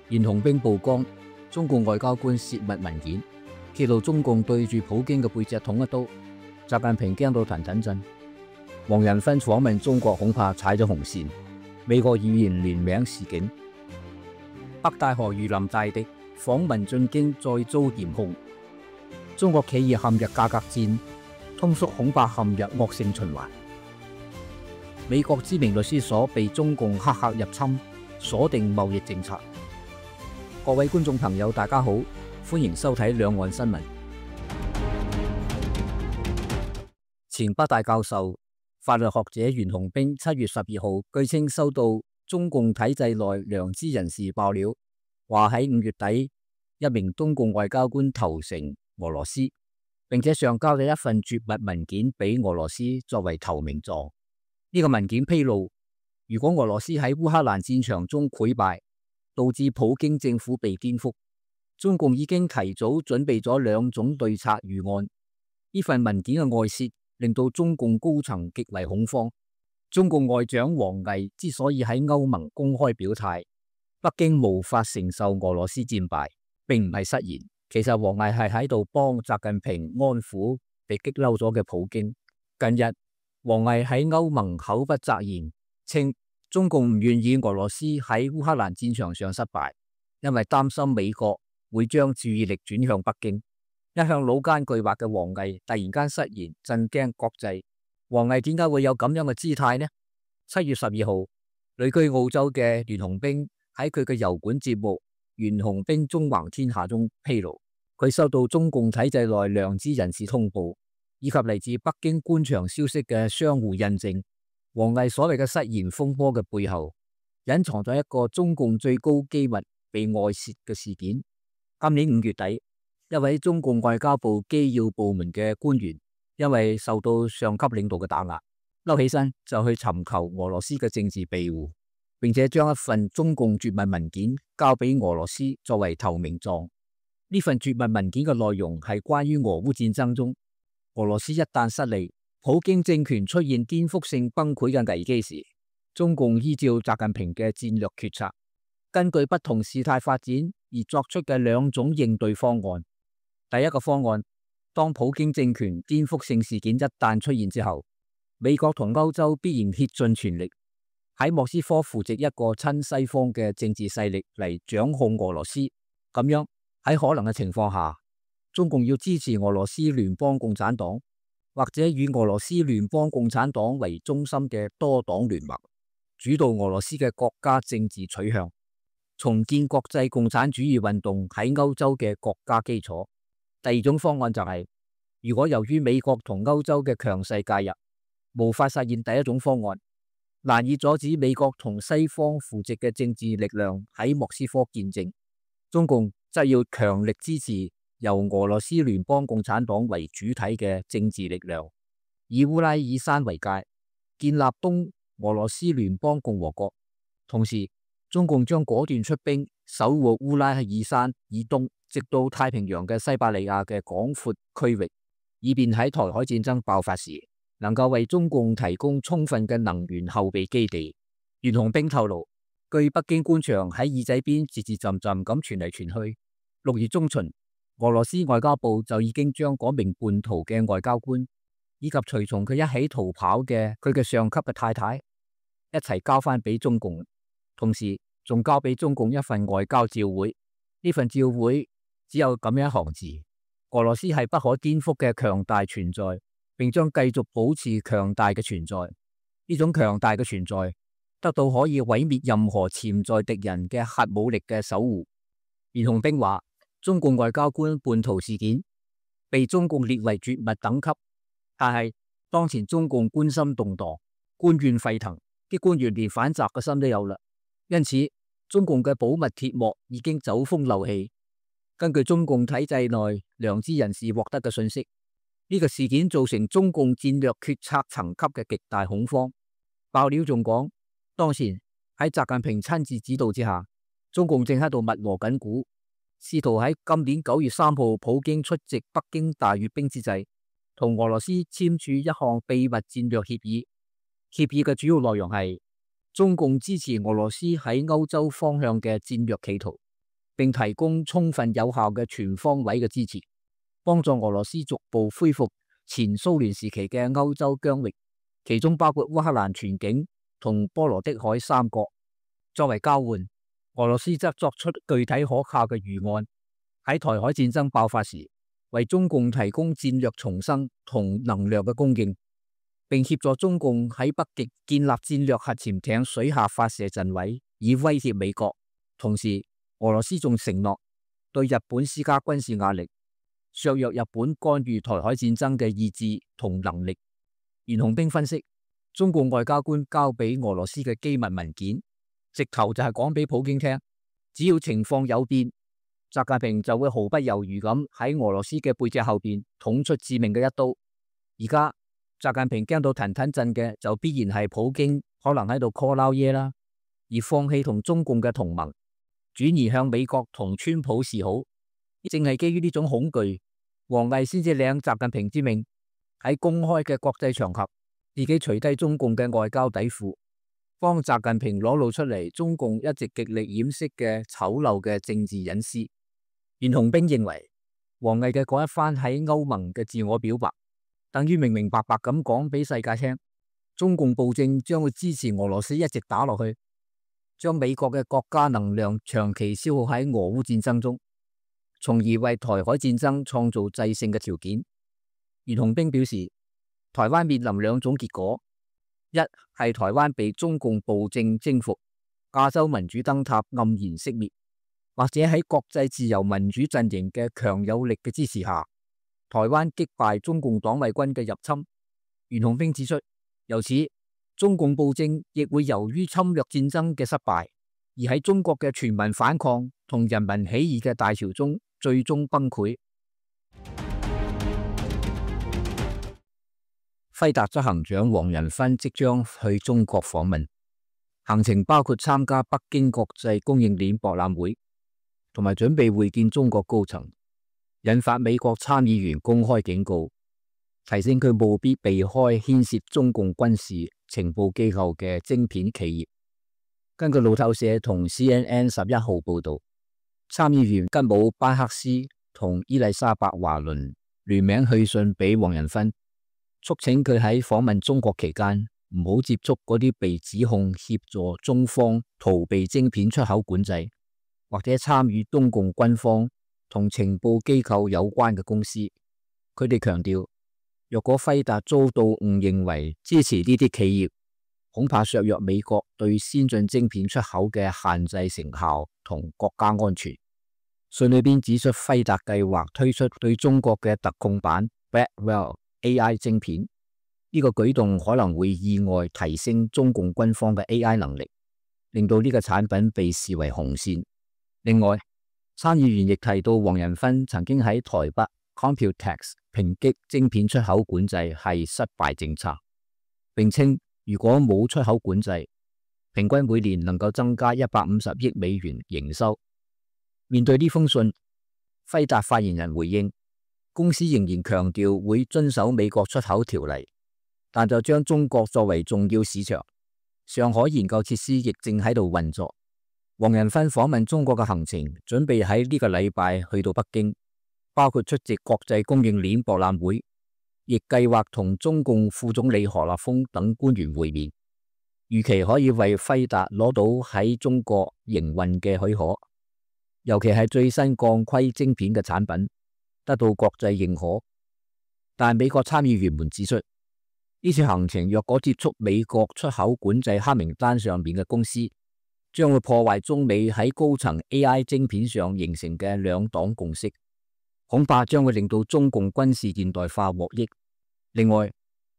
袁洪兵曝光中共外交官泄密文件，揭露中共對住普京嘅背脊捅一刀，習近平驚到騰騰震。黃仁勳訪問中國恐怕踩咗紅線，美國議員聯名示警。北戴河如臨大敵，訪問進京再遭嚴控。中國企業陷入價格戰，通縮恐怕陷入惡性循環。美國知名律師所被中共黑客入侵，鎖定貿易政策。各位觀眾朋友，大家好，歡迎收睇兩岸新聞。前北大教授、法律學者袁洪兵7月12號據稱收到中共體制內良知人士爆料，話喺5月底，一名中共外交官投誠俄羅斯，並且上交咗一份絕密文件俾俄羅斯作為投名狀。呢個文件披露，如果俄羅斯喺烏克蘭戰場中潰敗，導致普京政府被顛覆，中共已經提早準備咗2種對策預案。呢份文件嘅外泄令到中共高層極為恐慌。中共外長王毅之所以喺歐盟公開表態，北京無法承受俄羅斯戰敗，並唔係失言。其實王毅係喺度幫習近平安撫被激嬲咗嘅普京。近日，王毅喺歐盟口不擇言，稱中共唔願意俄羅斯喺烏克蘭戰場上失敗，因為擔心美國會將注意力轉向北京。一向老奸巨猾嘅王毅突然間失言，震驚國際。王毅點解會有咁樣嘅姿態呢？7月12號，旅居澳洲嘅袁洪兵喺佢嘅油管節目《袁洪兵縱橫天下》中披露，佢收到中共體制內良知人士通報，以及嚟自北京官場消息嘅相互印證。王毅所謂嘅失言風波嘅背後，隱藏咗一個中共最高機密被外泄嘅事件。今年5月底，一位中共外交部機要部門嘅官員，因為受到上級領導嘅打壓，嬲起身就去尋求俄羅斯嘅政治庇護，並且將一份中共絕密文件交俾俄羅斯作為投名狀。呢份絕密文件嘅內容係關於俄烏戰爭中，俄羅斯一旦失利，普京政權出現顛覆性崩潰嘅危機時，中共依照習近平嘅戰略決策，根據不同事態發展而作出嘅2種應對方案。第一個方案，當普京政權顛覆性事件一旦出現之後，美國同歐洲必然竭盡全力喺莫斯科扶植一個親西方嘅政治勢力嚟掌控俄羅斯。咁樣喺可能嘅情況下，中共要支持俄羅斯聯邦共產黨，或者以俄羅斯聯邦共產黨為中心嘅多黨聯盟，主導俄羅斯嘅國家政治取向，重建國際共產主義運動喺歐洲嘅國家基礎。第二種方案就係，如果由於美國同歐洲嘅強勢介入，無法實現第一種方案，難以阻止美國同西方扶植嘅政治力量喺莫斯科建政，中共則要強力支持由俄羅斯聯邦共產黨為主體嘅政治力量，以烏拉爾山為界，建立東俄羅斯聯邦共和國。同時，中共將果斷出兵守護烏拉爾山以東，直到太平洋嘅西伯利亞嘅廣闊區域，以便喺台海戰爭爆發時，能夠為中共提供充分嘅能源後備基地。袁洪兵透露，據北京官場喺耳仔邊字字浸浸咁傳嚟傳去，6月中旬，俄羅斯外交部就已經將嗰名叛逃嘅外交官，以及隨從佢一起逃跑嘅佢嘅上級嘅太太，一齊交翻俾中共，同時仲交俾中共一份外交照會。呢份照會只有咁樣一行字：俄羅斯係不可顛覆嘅強大存在，並將繼續保持強大嘅存在。呢種強大嘅存在得到可以毀滅任何潛在敵人嘅核武力嘅守護。袁洪兵話，中共外交官叛逃事件被中共列為絕密等級，但係當前中共軍心動盪，官怨沸騰，啲官員連反襲嘅心都有啦。因此，中共嘅保密鐵幕已經走風漏氣。根據中共體制內良知人士獲得嘅信息，呢個事件造成中共戰略決策層級嘅極大恐慌。爆料仲講，當前喺習近平親自指導之下，中共正喺度密鑼緊鼓，試圖喺今年9月3號普京出席北京大閱兵之際，同俄羅斯簽署一項秘密戰略協議。協議嘅主要內容係中共支持俄羅斯喺歐洲方向嘅戰略企圖，並提供充分有效嘅全方位嘅支持，幫助俄羅斯逐步恢復前蘇聯時期嘅歐洲疆域，其中包括烏克蘭全境同波羅的海三角。作為交換，俄羅斯則作出具體可靠嘅預案，喺台海戰爭爆發時，為中共提供戰略重生同能量嘅供應，並協助中共喺北極建立戰略核潛艇水下發射陣位，以威脅美國。同時，俄羅斯仲承諾對日本施加軍事壓力，削弱日本干預台海戰爭嘅意志同能力。袁紅冰分析，中共外交官交俾俄羅斯嘅機密文件，直頭就係講俾普京聽，只要情況有變，習近平就會毫不猶豫咁喺俄羅斯嘅背脊後邊捅出致命嘅一刀。而家習近平驚到騰騰震嘅，就必然係普京可能喺度 call 撈嘢啦，而放棄同中共嘅同盟，轉移向美國同川普示好。正係基於呢種恐懼，王毅先至領習近平之命，喺公開嘅國際場合，自己除低中共嘅外交底褲，幫習近平裸露出嚟中共一直極力掩飾嘅醜陋嘅政治隱私。袁紅冰認為，王毅嘅嗰一番喺歐盟嘅自我表白，等於明明白白咁講俾世界聽，中共暴政將會支持俄羅斯一直打落去，將美國嘅國家能量長期消耗喺俄烏戰爭中，從而為台海戰爭創造制勝嘅條件。袁紅冰表示，台灣面臨兩種結果，一係台灣被中共暴政征服，亞洲民主燈塔黯然熄滅，或者喺國際自由民主陣營嘅強有力嘅支持下，台灣擊敗中共黨衛軍嘅入侵。袁紅冰指出，由此中共暴政亦會由於侵略戰爭嘅失敗，而喺中國嘅全民反抗同人民起義嘅大潮中最終崩潰。輝達執行長黃仁勳即將去中國訪問，行程包括參加北京國際供應鏈博覽會，同埋準備會見中國高層，引發美國參議員公開警告，提醒佢務必避開牽涉中共軍事情報機構嘅晶片企業。根據路透社同 CNN 11號報道，參議員吉姆·班克斯同伊麗莎白·華倫聯名去信俾黃仁勳，促請佢喺訪問中國期間唔好接觸嗰啲被指控協助中方逃避晶片出口管制，或者參與中共軍方同情報機構有關嘅公司。佢哋強調，若果輝達遭到誤認為支持呢啲企業，恐怕削弱美國對先進晶片出口嘅限制成效同國家安全。信裏邊指出，輝達計劃推出對中國嘅特供版 Blackwell AI 晶片，呢個舉動可能會意外提升中共軍方嘅 AI 能力，令到呢個產品被視為紅線。另外，參議員亦提到黃仁勳曾經喺台北 Computex 抨擊晶片出口管制係失敗政策，並稱如果冇出口管制，平均每年能夠增加150億美元營收。面對呢封信，輝達發言人回應，公司仍然強調會遵守美國出口條例，但就將中國作為重要市場。上海研究設施亦正喺度運作。黃仁勳訪問中國嘅行程準備喺呢個禮拜去到北京，包括出席國際供應鏈博覽會，亦計劃同中共副總理何立峰等官員會面，預期可以為輝達攞到喺中國營運嘅許可，尤其係最新鋼盔晶片嘅產品得到國際認可。但美國參議員們指出，呢次行程若果接觸美國出口管制黑名單上面嘅公司，將會破壞中美喺高層 AI 晶片上形成嘅兩黨共識，恐怕將會令到中共軍事現代化獲益。另外，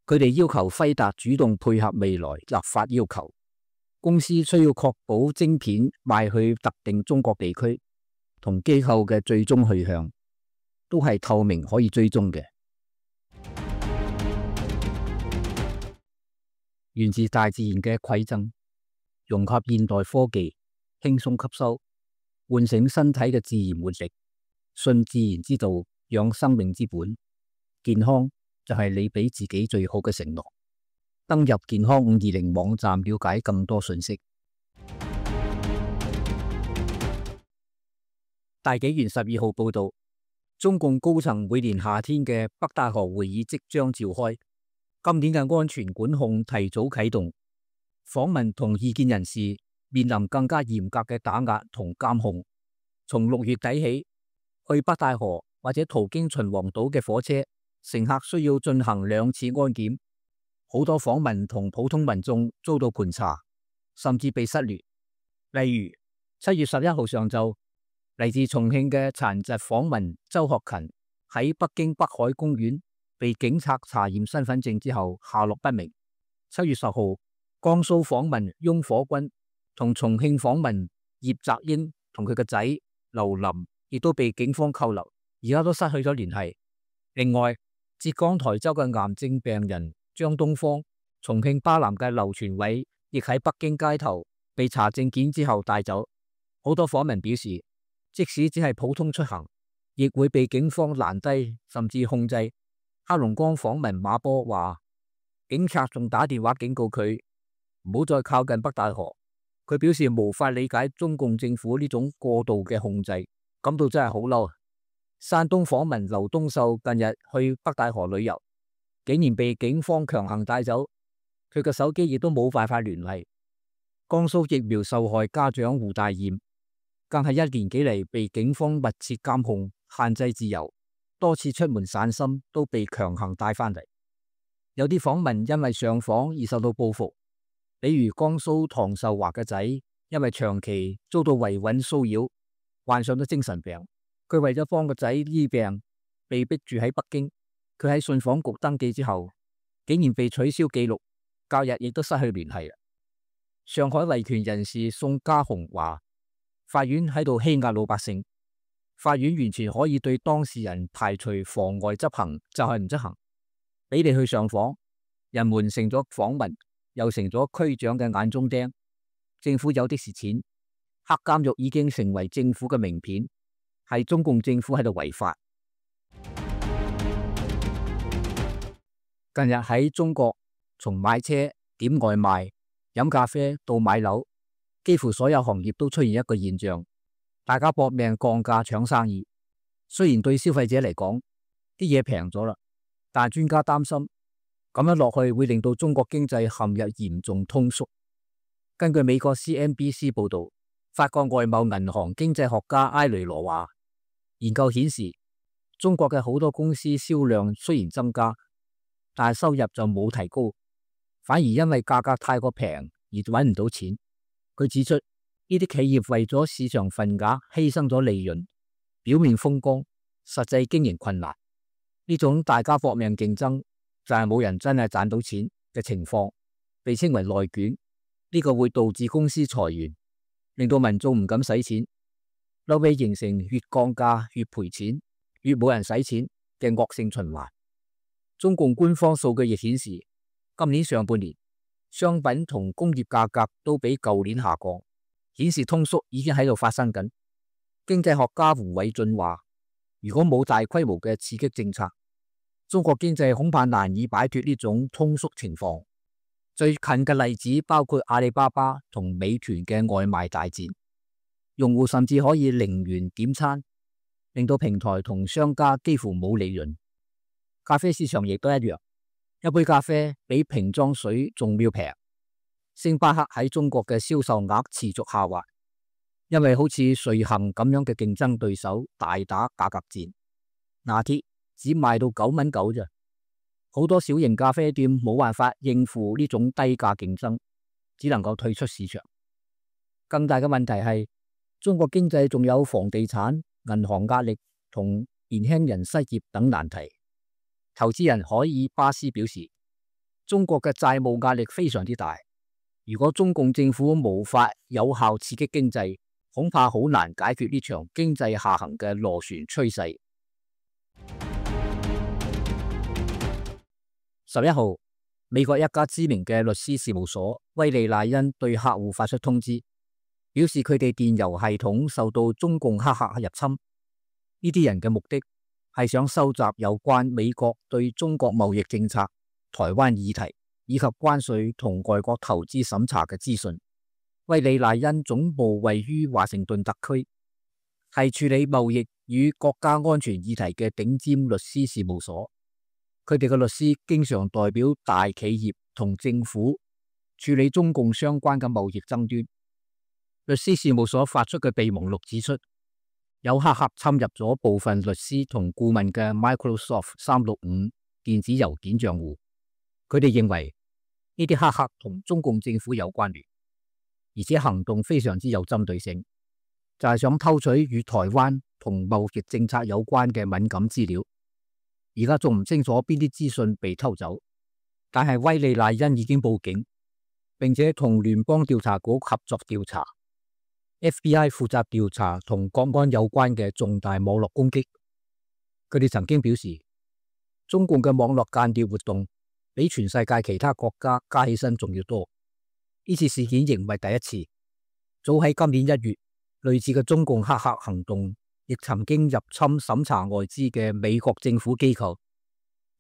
佢哋要求輝達主動配合未來立法要求，公司需要確保晶片賣去特定中國地區同機構嘅最終去向都係透明可以追蹤嘅。源自大自然嘅饋贈，融合現代科技，輕鬆吸收，喚醒身體嘅自然活力，信自然之道，養生命之本。健康就係你俾自己最好嘅承諾。登入健康520網站了解更多信息。大紀元12號報道，中共高層每年夏天嘅北戴河會議即將召開，今年嘅安全管控提早啟動，訪民同異見人士面臨更加嚴格嘅打壓同監控。從6月底起，去北戴河或者途經秦皇島嘅火車，乘客需要進行2次安檢。好多訪民同普通民眾遭到盤查，甚至被失聯。例如7月11號上晝，嚟自重慶嘅殘疾訪民周學勤喺北京北海公園被警察查驗身份證之後下落不明。7月10號，江蘇訪民翁火軍同重慶訪民葉澤英同佢個仔劉林亦都被警方扣留，而家都失去咗聯繫。另外，浙江台州嘅癌症病人張東方、重慶巴南嘅劉傳偉亦喺北京街頭被查證件之後帶走。好多訪民表示，即使只係普通出行，亦會被警方攔低甚至控制。黑龍江訪民馬波話，警察仲打電話警告佢唔好再靠近北戴河。佢表示無法理解中共政府呢種過度嘅控制，感到真係好嬲。山東訪民劉東秀近日去北戴河旅遊，竟然被警方強行帶走，佢嘅手機亦都冇辦法聯繫。江蘇疫苗受害家長胡大艷更係1年幾嚟被警方密切監控，限制自由，多次出門散心都被強行帶返嚟。有啲訪民因為上訪而受到報復，比如江蘇唐壽華嘅仔因為長期遭到維穩騷擾，患上咗精神病。佢為咗幫個仔醫病，被逼住喺北京。佢喺信訪局登記之後，竟然被取消記錄，隔日亦都失去聯繫。上海維權人士宋家雄話，法院喺度欺壓老百姓，法院完全可以對當事人排除妨礙執行，就係唔執行，俾你去上訪，人們成咗訪民，又成咗區長嘅眼中釘。政府有的是錢，黑監獄已經成為政府嘅名片，係中共政府喺度違法。近日喺中國，從買車、點外賣、飲咖啡到買樓，幾乎所有行業都出現一個現象，大家搏命降價搶生意。雖然對消費者嚟講，啲嘢平咗啦，但專家擔心咁樣落去會令到中國經濟陷入嚴重通縮。根據美國 CNBC 報道，法國外貿銀行經濟學家埃雷羅話，研究顯示中國嘅好多公司銷量雖然增加，但係收入就冇提高，反而因為價格太過平而揾唔到錢。佢指出，呢啲企業為咗市場份額犧牲咗利潤，表面風光，實際經營困難。呢種大家搏命競爭，就係冇人真係賺到錢嘅情況，被稱為內卷。呢個會導致公司裁員，令到民眾唔敢使錢，後尾形成越降價越賠錢，越冇人使錢嘅惡性循環。中共官方數據亦顯示，今年上半年商品同工業價格都比舊年下降，顯示通縮已經喺度發生緊。經濟學家胡偉俊話，如果冇大規模嘅刺激政策，中國經濟恐怕難以擺脫呢種通縮情況。最近嘅例子包括阿里巴巴同美團嘅外賣大戰，用戶甚至可以0元點餐，令到平台同商家幾乎冇利潤。咖啡市場亦都一樣，一杯咖啡比瓶裝水仲要平。星巴克喺中國嘅銷售額持續下滑，因為好似瑞幸咁樣嘅競爭對手大打價格戰。拿鐵只賣到9.9蚊咋，好多小型咖啡店冇辦法應付呢種低價競爭，只能夠退出市場。更大嘅問題係，中國經濟仲有房地產、銀行壓力同年輕人失業等難題。投資人海爾巴斯表示，中國嘅債務壓力非常之大，如果中共政府無法有效刺激經濟，恐怕好難解決呢場經濟下行嘅螺旋趨勢。11號，美國一家知名嘅律師事務所威利賴恩對客戶發出通知，表示佢哋電郵系統受到中共黑客入侵。呢啲人嘅目的係想收集有關美國對中國貿易政策、台灣議題以及關稅同外國投資審查嘅資訊。威利賴恩總部位於華盛頓特區，係處理貿易與國家安全議題嘅頂尖律師事務所。佢哋嘅律師經常代表大企業同政府處理中共相關嘅貿易爭端。律師事務所發出嘅備忘錄指出，有黑客侵入咗部分律師同顧問嘅 Microsoft 365電子郵件賬戶。佢哋認為呢啲黑客同中共政府有關聯，而且行動非常之有針對性，就係想偷取與台灣同貿易政策有關嘅敏感資料。而家仲唔清楚邊啲資訊被偷走，但係威利賴恩已經報警，並且同聯邦調查局合作調查。FBI 負責調查同國安有關嘅重大網絡攻擊。佢哋曾經表示，中共嘅網絡間諜活動比全世界其他國家加起身仲要多。呢次事件仍唔係第一次，早喺今年1月，類似嘅中共黑客行動亦曾經入侵審查外資嘅美國政府機構。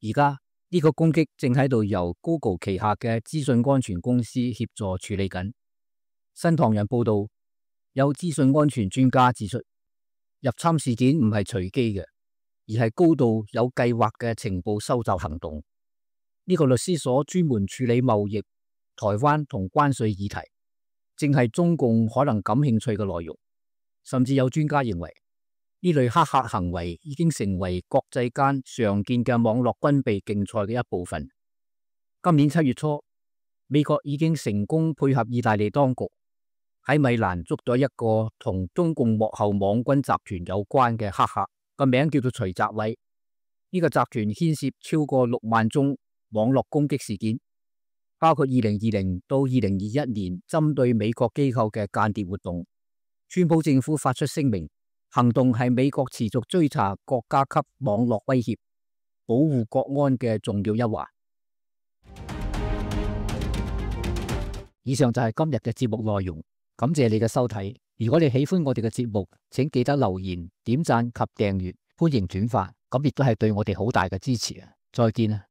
而家呢個攻擊正喺度由 Google 旗下嘅資訊安全公司協助處理緊。新唐人報道，有資訊安全專家指出，入侵事件唔係隨機嘅，而係高度有計劃嘅情報收集行動。呢個律師所專門處理貿易、台灣同關稅議題，正係中共可能感興趣嘅內容。甚至有專家認為，呢類黑客行為已經成為國際間常見嘅網絡軍備競賽嘅一部分。今年7月初，美國已經成功配合意大利當局，喺米蘭捉到一個同中共幕後網軍集團有關嘅黑客，個名叫做徐澤偉。呢個集團牽涉超過6萬宗網絡攻擊事件，包括2020到2021年針對美國機構嘅間諜活動。川普政府發出聲明，行動係美國持續追查國家級網絡威脅、保護國安嘅重要一環。以上就係今日嘅節目內容。感謝你嘅收睇。如果你喜歡我哋嘅節目，請記得留言、點讚及訂閱，歡迎轉發，咁亦都係對我哋好大嘅支持啊！再見啊！